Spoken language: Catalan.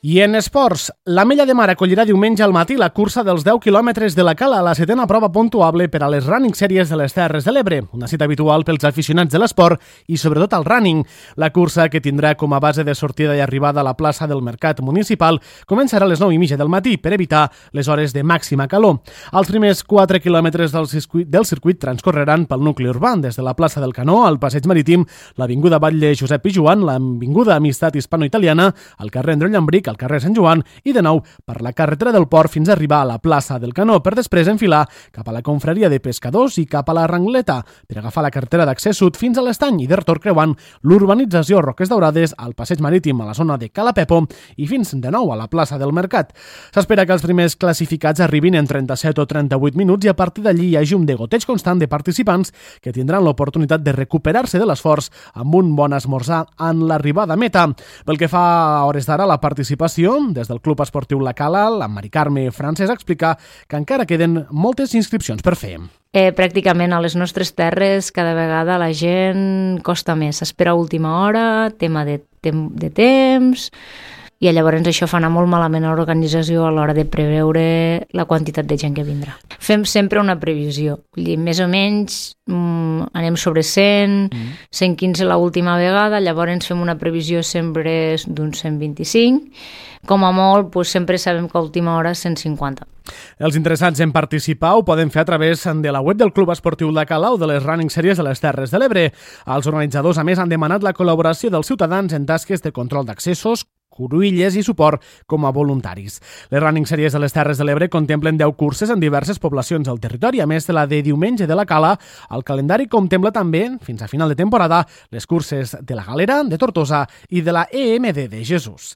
I en esports, l'Ametlla de Mar acollirà diumenge al matí la cursa dels 10 quilòmetres de la Cala, la setena prova puntuable per a les Running Series de les Terres de l'Ebre, una cita habitual pels aficionats de l'esport i sobretot al running. La cursa, que tindrà com a base de sortida i arribada a la plaça del Mercat Municipal, començarà a les 9:30 del matí per evitar les hores de màxima calor. Els primers 4 quilòmetres del circuit transcorreran pel nucli urbà, des de la plaça del Canó al Passeig Marítim, l'Avinguda Batlle Josep Pijuan, l'Avinguda Amistat Hispano-Italiana, el carrer Andreu Llambric, al carrer Sant Joan i de nou per la carretera del Port fins a arribar a la plaça del Canó, per després enfilar cap a la confraria de pescadors i cap a la Rangleta, per agafar la carretera d'accés sud fins a l'Estany i de retorn creuant l'urbanització Roques Daurades al Passeig Marítim a la zona de Cala Pepo i fins de nou a la plaça del Mercat. S'espera que els primers classificats arribin en 37 o 38 minuts i a partir d'allí hi hagi un degoteig constant de participants que tindran l'oportunitat de recuperar-se de l'esforç amb un bon esmorzar en l'arribada a meta. Pel que fa a hores d'ara, la participació des del Club Esportiu La Cala, la Mari Carme Francesc explica que encara queden moltes inscripcions per fer. Pràcticament a les nostres terres cada vegada la gent costa més, s'espera a última hora, tema de temps, i llavors això fa anar molt malament a l'organització a l'hora de preveure la quantitat de gent que vindrà. Fem sempre una previsió, vull dir, més o menys anem sobre 100, 115 l'última vegada, llavors fem una previsió sempre d'uns 125, com a molt sempre sabem que a última hora 150. Els interessats en participar ho poden fer a través de la web del Club Esportiu La Cala o de les Running Series de les Terres de l'Ebre. Els organitzadors, a més, han demanat la col·laboració dels ciutadans en tasques de control d'accessos, cruïlles i suport com a voluntaris. Les Running Series de les Terres de l'Ebre contemplen 10 curses en diverses poblacions del territori, a més de la de diumenge de la Cala. El calendari contempla també, fins a final de temporada, les curses de la Galera, de Tortosa i de la EMD de Jesús.